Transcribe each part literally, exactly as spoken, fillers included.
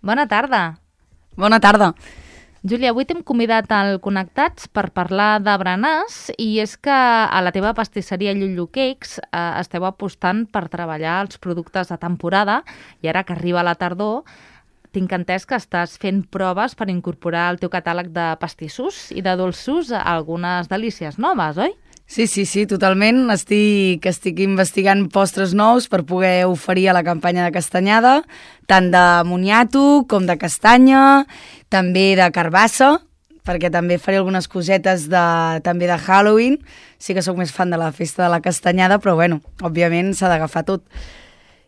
Bona tarda. Bona tarda. Júlia, avui t'hem convidat al Connectats per parlar de berenars i és que a la teva pastisseria Llullu Cakes eh, esteu apostant per treballar els productes de temporada i ara que arriba la tardor tinc entès que estàs fent proves per incorporar al teu catàleg de pastissos i de dolços algunes delícies noves, oi? Sí, sí, sí, totalment. Estic, estic investigant postres nous per poder oferir a la campanya de castanyada, tant de moniato com de castanya, també de carbassa, perquè també faré algunes cosetes de, també de Halloween. Sí que sóc més fan de la festa de la castanyada, però bueno, òbviament s'ha d'agafar tot.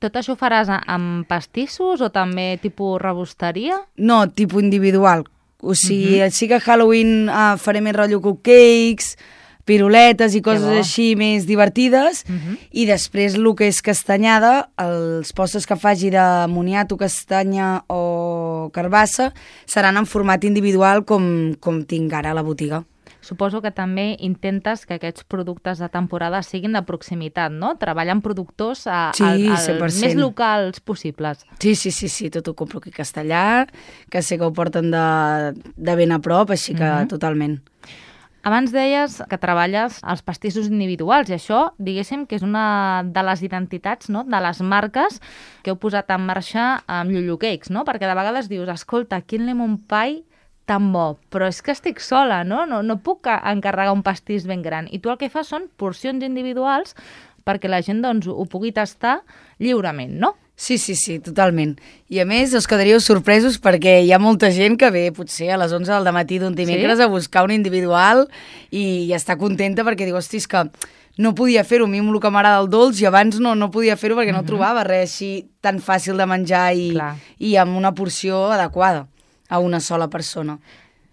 Tot això ho faràs amb pastissos o també tipus rebosteria? No, tipus individual. O sigui, Mhm. sí que a Halloween uh, faré més rotllo cupcakes, piruletes i coses així més divertides, Mhm. i després el que és castanyada, els postres que faci de moniato, castanya o carbassa seran en format individual com, com tinc ara a la botiga. Suposo que també intentes que aquests productes de temporada siguin de proximitat, no? Treballen productors a, Sí, al, al cent per cent. més locals possibles. Sí, sí, sí, sí, tot ho compro aquí a Castellar, que sé que ho porten de, de ben a prop, així que Mhm. totalment. Abans deies que treballes els pastissos individuals i això, diguéssim, que és una de les identitats, no?, de les marques que heu posat en marxa amb Llullu Cakes, no? Perquè de vegades dius, escolta, quin lemon pie tan bo, però és que estic sola, no? No, no puc encarregar un pastís ben gran. I tu el que fas són porcions individuals perquè la gent doncs, ho pugui tastar lliurement, no? Sí, sí, sí, totalment. I a més us quedaríeu sorpresos perquè hi ha molta gent que ve potser a les onze del matí d'un dimecres Sí? a buscar un individual i, i està contenta perquè diu, hosti, és que no podia fer-ho, a mi amb el que m'agrada el dolç i abans no, no podia fer-ho perquè no Mhm. trobava res així tan fàcil de menjar i, Clar. i amb una porció adequada a una sola persona.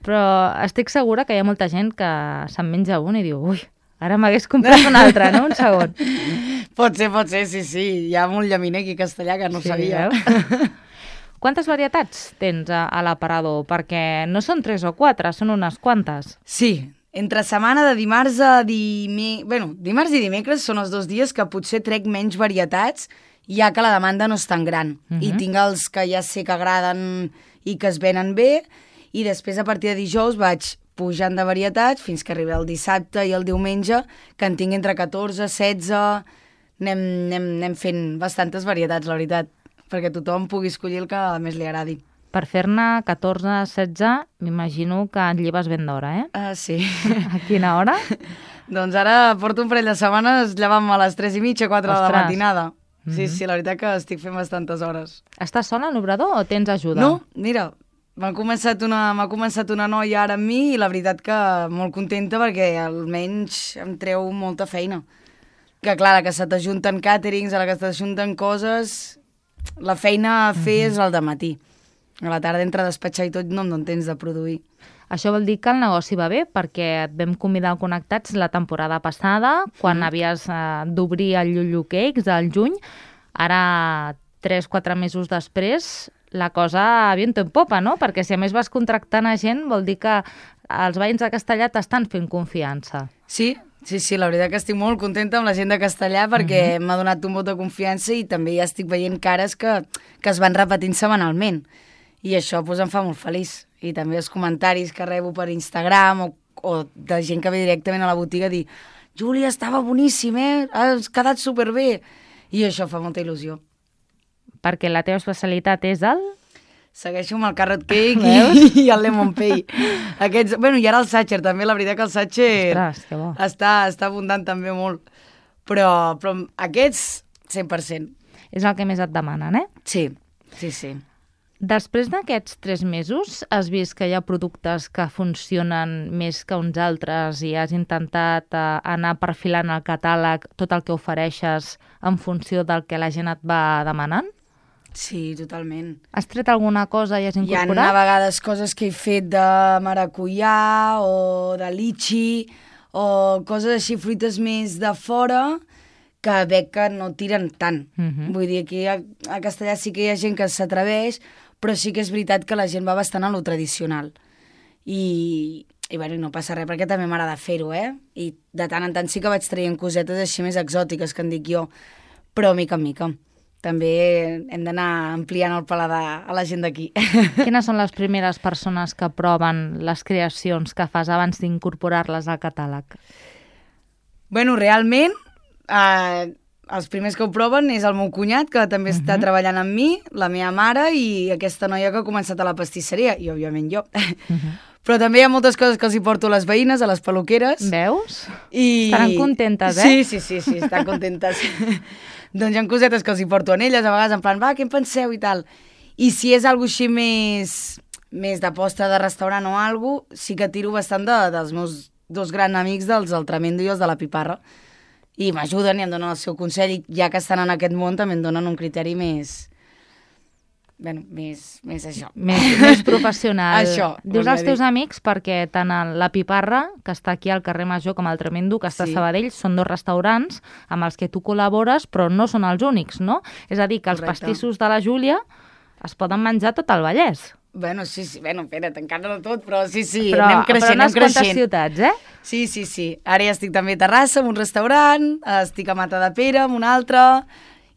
Però estic segura que hi ha molta gent que se'n menja un i diu, ui, ara m'hagués comprat un altre, no? Un segon. Pot ser, pot ser, sí, sí. Hi ha un llaminer aquí a Castellà que no Sí, sabia. veus? Quantes varietats tens a, a l'aparador? Perquè no són tres o quatre, són unes quantes. Sí, entre setmana de dimarts a dimecres... Bueno, dimarts i dimecres són els dos dies que potser trec menys varietats, ja que la demanda no és tan gran. Mhm. I tinc els que ja sé que agraden i que es venen bé, i després a partir de dijous vaig pujant de varietats fins que arribi el dissabte i el diumenge, que en tinc entre catorze, setze... Anem, anem, anem fent bastantes varietats, la veritat, perquè tothom pugui escollir el que més li agradi. Per fer-ne catorze, setze, m'imagino que et lleves ben d'hora, eh? Ah, sí. A quina hora? Doncs ara porto un parell de setmanes llevant-me a les tres i mitja, quatre de la Ostres. matinada. Sí, Mhm. sí, la veritat que estic fent bastantes hores. Estàs sola a l'obrador o tens ajuda? No, mira, m'ha començat, una, m'ha començat una noia ara amb mi i la veritat que molt contenta perquè almenys em treu molta feina. Que clar, la que se t'ajunten càterings, a la que se t'ajunten coses, la feina a fer és al dematí. A la tarda, entre despatxar i tot, no em dono temps de produir. Això vol dir que el negoci va bé, perquè et vam convidar al Connectats la temporada passada, quan Mhm. havies eh, d'obrir el Llullu Cakes al juny. Ara, tres quatre mesos després, la cosa viento en popa, no? Perquè si a més vas contractant a gent, vol dir que els veïns de Castellà t'estan fent confiança. Sí, sí, sí, la veritat que estic molt contenta amb la gent de Castellà perquè m'ha donat un vot de confiança i també ja estic veient cares que, que es van repetint setmanalment. I això pues, em fa molt feliç. I també els comentaris que rebo per Instagram o, o de gent que ve directament a la botiga a dir Júlia, estava boníssim, eh? Has quedat superbé. I això fa molta il·lusió. Perquè la teva especialitat és el... Segueixo amb el carrot cake Veus? i, i el lemon pie. Aquests, bueno, i ara el satcher, també, la veritat que el satcher Ostres, que bo. està, està abundant també molt. Però, però aquests, cent per cent. És el que més et demanen, eh? Sí, sí, sí. Després d'aquests tres mesos, has vist que hi ha productes que funcionen més que uns altres i has intentat eh, anar perfilant el catàleg tot el que ofereixes en funció del que la gent et va demanant? Sí, totalment. Has tret alguna cosa i has Hi ha incorporat? a vegades coses que he fet de maracuyà o de litxi o coses així, fruites més de fora que veig que no tiren tant. Mhm. Vull dir, aquí a, a Castellà sí que hi ha gent que s'atreveix, però sí que és veritat que la gent va bastant a lo tradicional. I, i bueno, no passa res perquè també m'agrada fer-ho, eh? I de tant en tant sí que vaig traient cosetes així més exòtiques, que en dic jo, però mica en mica. també hem d'anar ampliant el paladar a la gent d'aquí. Quines són les primeres persones que proven les creacions que fas abans d'incorporar-les al catàleg? Bueno, realment, eh, els primers que ho proven és el meu cunyat, que també uh -huh. està treballant amb mi, la meva mare i aquesta noia que ha començat a la pastisseria, i òbviament jo. Uh -huh. Però també hi ha moltes coses que els hi porto a les veïnes, a les peluqueres. Veus? I... Estaran contentes, eh? Sí, sí, sí, sí, estan contentes. Doncs hi ha cosetes que els hi porto a elles, a vegades en plan, va, què en penseu i tal. I si és alguna així més, més de postre de restaurant o alguna cosa, sí que tiro bastant de, dels meus dos grans amics, dels del Tremendo i els de la Piparra. I m'ajuden i em donen el seu consell, i ja que estan en aquest món també em donen un criteri més... Bueno, més, més això. Més, més professional. Això. Dius els teus amics perquè tant el la Piparra, que està aquí al carrer Major, com el Tremendo, que està sí. a Sabadell, són dos restaurants amb els que tu col·labores, però no són els únics, no? És a dir, que els Correcte. pastissos de la Júlia es poden menjar tot el Vallès. Bueno, sí, sí, bueno, espera't, encara no tot, però sí, sí, però, anem creixent, però anem creixent. Però unes ciutats, eh? Sí, sí, sí. Ara ja estic també a Terrassa, en un restaurant, estic a Matadepera, en un altre...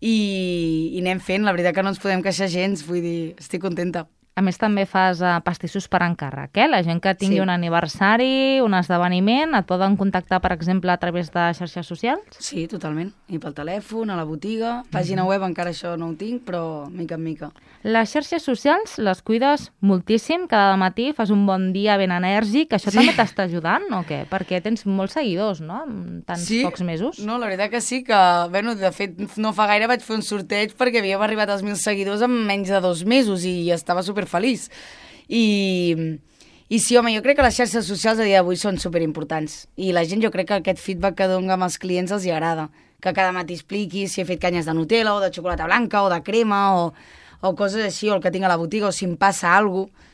I, i anem fent, la veritat que no ens podem queixar gens, vull dir, estic contenta. A més, també fas uh, pastissos per encàrrec, eh? La gent que tingui sí. un aniversari, un esdeveniment, et poden contactar, per exemple, a través de xarxes socials? Sí, totalment. I pel telèfon, a la botiga, pàgina mm-hmm. web, encara això no ho tinc, però mica en mica. Les xarxes socials les cuides moltíssim, cada matí fas un bon dia ben enèrgic, això sí. també t'està ajudant o què? Perquè tens molts seguidors, no?, en tants sí. pocs mesos. No, la veritat que sí, que, bueno, de fet, no fa gaire vaig fer un sorteig perquè havíem arribat als mil seguidors en menys de dos mesos i estava super feliç. I, i sí, home, jo crec que les xarxes socials a dia d'avui són superimportants. I la gent, jo crec que aquest feedback que dono amb els clients els hi agrada. Que cada matí expliqui si he fet canyes de Nutella o de xocolata blanca o de crema o, o coses així, o el que tinc a la botiga, o si em passa alguna cosa.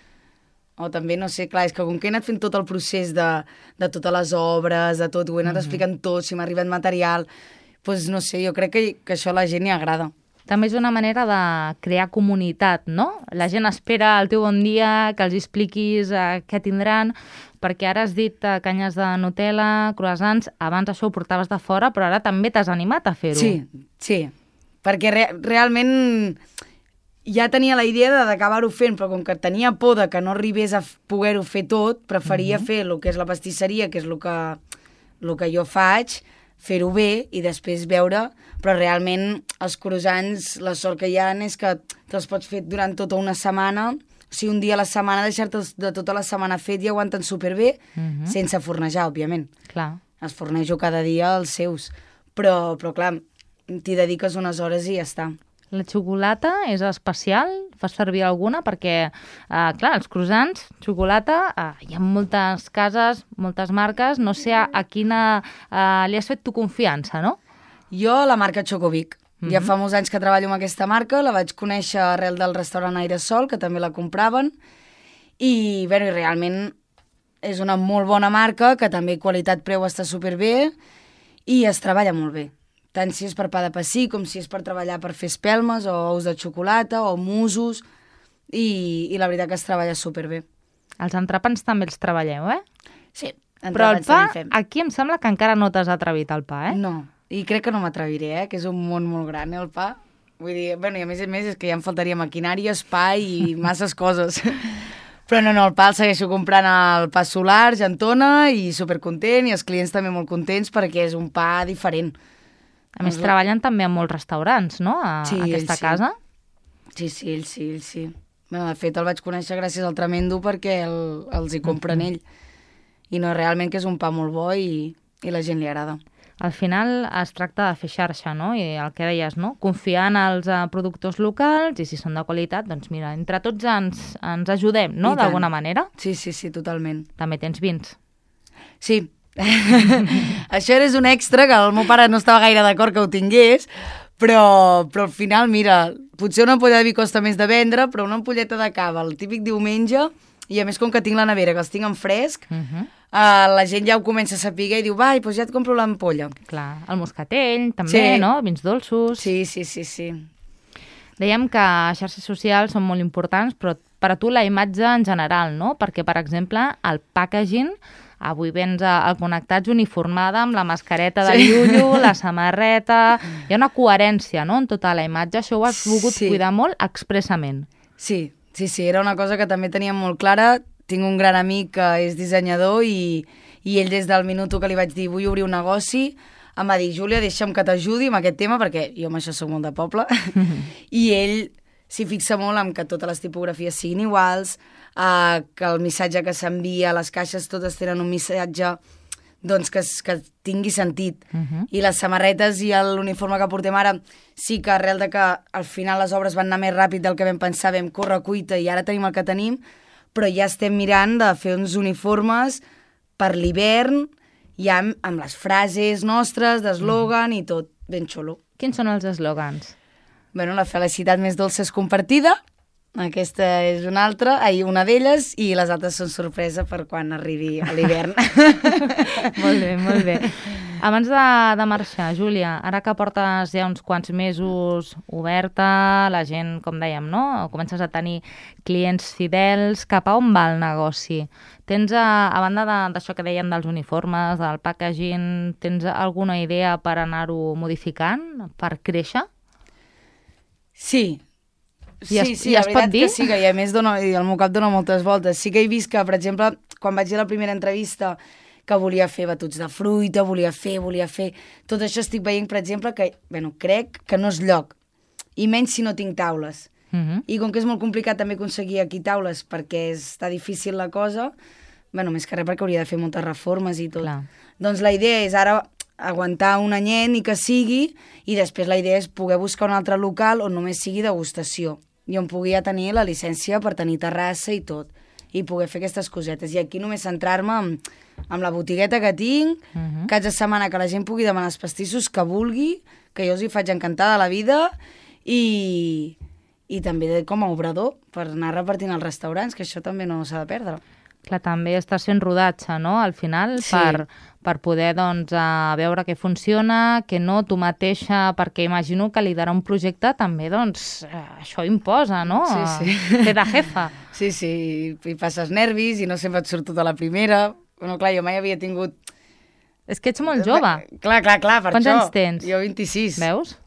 O també, no sé, clar, és que com que he anat fent tot el procés de, de totes les obres, de tot, ho he anat mm-hmm. explicant tot, si m'ha arribat material, doncs no sé, jo crec que, que això a la gent li agrada. També és una manera de crear comunitat, no? La gent espera el teu bon dia, que els expliquis eh, què tindran, perquè ara has dit eh, canyes de Nutella, croissants, abans això ho portaves de fora, però ara també t'has animat a fer-ho. Sí, sí, perquè re realment ja tenia la idea d'acabar-ho fent, però com que tenia por de que no arribés a poder-ho fer tot, preferia mm-hmm. fer el que és la pastisseria, que és el que, el que jo faig, fer-ho bé i després veure, però realment els croissants, la sort que hi ha és que te'ls pots fer durant tota una setmana, o sigui, un dia a la setmana, deixar-te'ls de tota la setmana fet i aguanten superbé, uh-huh. sense fornejar, òbviament. Clar. Els fornejo cada dia els seus, però, però clar, t'hi dediques unes hores i ja està. La xocolata és especial? Fas servir alguna? Perquè, eh, clar, els croissants, xocolata, eh, hi ha moltes cases, moltes marques, no sé a, a quina eh, li has fet tu confiança, no? Jo, la marca Chocovic. Mm-hmm. Ja fa molts anys que treballo amb aquesta marca, la vaig conèixer arrel del restaurant Airesol, que també la compraven, i, bueno, i realment és una molt bona marca, que també qualitat-preu està superbé, i es treballa molt bé. Tant si és per pa de pessí, com si és per treballar per fer espelmes, o ous de xocolata, o musos, i, i la veritat que es treballa superbé. Els entrepans també els treballeu, eh? Sí. Però el pa, aquí em sembla que encara no t'has atrevit al pa, eh? No. I crec que no m'atreviré, eh? Que és un món molt gran, eh, el pa. Vull dir, bueno, i a més a més és que ja em faltaria maquinària, espai i masses coses. Però no, no, el pa el segueixo comprant al Pa Solar, Gentona, i supercontent, i els clients també molt contents perquè és un pa diferent. A més, treballen també en molts restaurants, no?, a, sí, a aquesta sí. casa. Sí, sí, ell sí, ell sí. Bueno, de fet, el vaig conèixer gràcies al Tremendo perquè el, els hi compren mm-hmm. ell. I no, realment que és un pa molt bo i, i la gent li agrada. Al final es tracta de fer xarxa, no? I el que deies, no? Confiar en els uh, productors locals i si són de qualitat, doncs mira, entre tots ens, ens ajudem, no?, d'alguna manera. Sí, sí, sí, totalment. També tens vins. Sí. Això és un extra que el meu pare no estava gaire d'acord que ho tingués, però, però al final, mira, potser una ampolla de vi costa més de vendre, però una ampolleta de cava el típic diumenge, i a més com que tinc la nevera, que els tinc en fresc, uh-huh. Uh, la gent ja ho comença a saber i diu, vai, doncs ja et compro l'ampolla. Clar, el moscatell també, sí. no? Vins dolços. Sí, sí, sí, sí. Dèiem que xarxes socials són molt importants, però per a tu la imatge en general, no? Perquè, per exemple, el packaging avui vens al Connectats uniformada amb la mascareta del Llullo, la samarreta... Hi ha una coherència, no?, en tota la imatge. Això ho has volgut sí. cuidar molt expressament. Sí, sí, sí, era una cosa que també teníem molt clara. Tinc un gran amic que és dissenyador i, i ell des del minut que li vaig dir vull obrir un negoci, em va dir, Júlia, deixa'm que t'ajudi amb aquest tema, perquè jo amb això soc molt de poble, i ell s'hi fixa molt en que totes les tipografies siguin iguals, eh, que el missatge que s'envia, les caixes totes tenen un missatge doncs que, que tingui sentit. Uh-huh. I les samarretes i l'uniforme que portem ara, sí que arrel de que al final les obres van anar més ràpid del que vam pensar, vam córrer cuita i ara tenim el que tenim, però ja estem mirant de fer uns uniformes per l'hivern, ja amb, amb les frases nostres, d'eslògan i tot, ben xulo. Quins són els eslògans? Bueno, la felicitat més dolça és compartida, aquesta és una altra, ahir una d'elles, i les altres són sorpresa per quan arribi a l'hivern. Molt bé, molt bé. Abans de, de marxar, Júlia, ara que portes ja uns quants mesos oberta, la gent, com dèiem, no? Comences a tenir clients fidels, cap a on va el negoci? Tens, a, a banda d'això que dèiem dels uniformes, del packaging, tens alguna idea per anar-ho modificant, per créixer? Sí, sí, es, sí, la veritat que sí, que i a més dona, i el meu cap dona moltes voltes. Sí que he vist que, per exemple, quan vaig a la primera entrevista, que volia fer batuts de fruita, volia fer, volia fer... Tot això estic veient, per exemple, que, bueno, crec que no és lloc, i menys si no tinc taules. Uh-huh. I com que és molt complicat també aconseguir aquí taules perquè està difícil la cosa, bueno, més que res perquè hauria de fer moltes reformes i tot. Clar. Doncs la idea és ara aguantar un anyet ni que sigui, i després la idea és poder buscar un altre local on només sigui degustació i on pugui ja tenir la llicència per tenir terrassa i tot, i poder fer aquestes cosetes. I aquí només centrar-me amb, amb la botigueta que tinc, uh-huh. cada setmana que la gent pugui demanar els pastissos que vulgui, que jo els hi faig encantada la vida, i, i també com a obrador per anar repartint als restaurants, que això també no s'ha de perdre. Clar, també estàs fent rodatge, no?, al final, sí. per, per poder, doncs, a veure què funciona, què no, tu mateixa, perquè imagino que liderar un projecte també, doncs, això imposa, no? Sí, sí. Fer de jefa. Sí, sí, i passes nervis i no sempre et surt tot a la primera. Bueno, clar, jo mai havia tingut... És que ets molt jove. Clar, clar, clar, per Quants això. Quants anys tens? Jo vint-i-sis. Veus?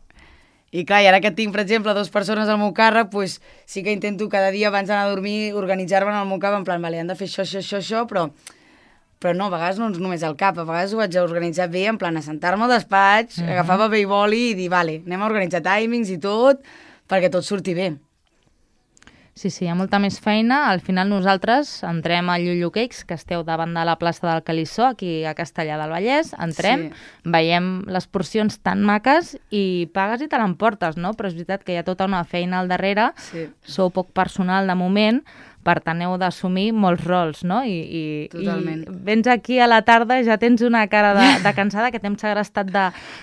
I clar, i ara que tinc, per exemple, dues persones al meu càrrec, pues, sí que intento cada dia abans d'anar a dormir organitzar-me en el meu cap, en plan, vale, han de fer això, això, això, això, però, però no, a vegades no és només el cap, a vegades ho vaig a organitzar bé, en plan, assentar-me al despatx, uh-huh. agafar paper i boli i dir, vale, anem a organitzar timings i tot, perquè tot surti bé. Sí, sí, hi ha molta més feina. Al final nosaltres entrem a Llullo Cakes, que esteu davant de la plaça del Calissó, aquí a Castellar del Vallès. Entrem, sí. veiem les porcions tan maques i pagues i te l'emportes, no? Però és veritat que hi ha tota una feina al darrere. Sí. Sou poc personal de moment, per tant heu d'assumir molts rols, no? I, i, Totalment. I vens aquí a la tarda i ja tens una cara de, de cansada, que t'hem segrestat de,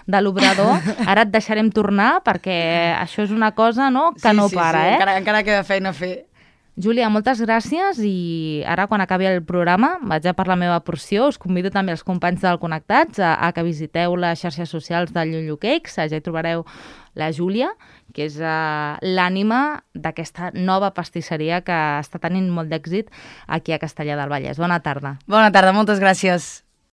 de l'obrador. Ara et deixarem tornar, perquè això és una cosa, no?, que sí, no sí, para, sí. eh? Encara, encara queda feina a fer. Júlia, moltes gràcies, i ara quan acabi el programa vaig a per la meva porció. Us convido també els companys del Connectats a, a que visiteu les xarxes socials del Llullo Cakes. Ja hi trobareu la Júlia, que és uh, l'ànima d'aquesta nova pastisseria que està tenint molt d'èxit aquí a Castellar del Vallès. Bona tarda. Bona tarda, moltes gràcies.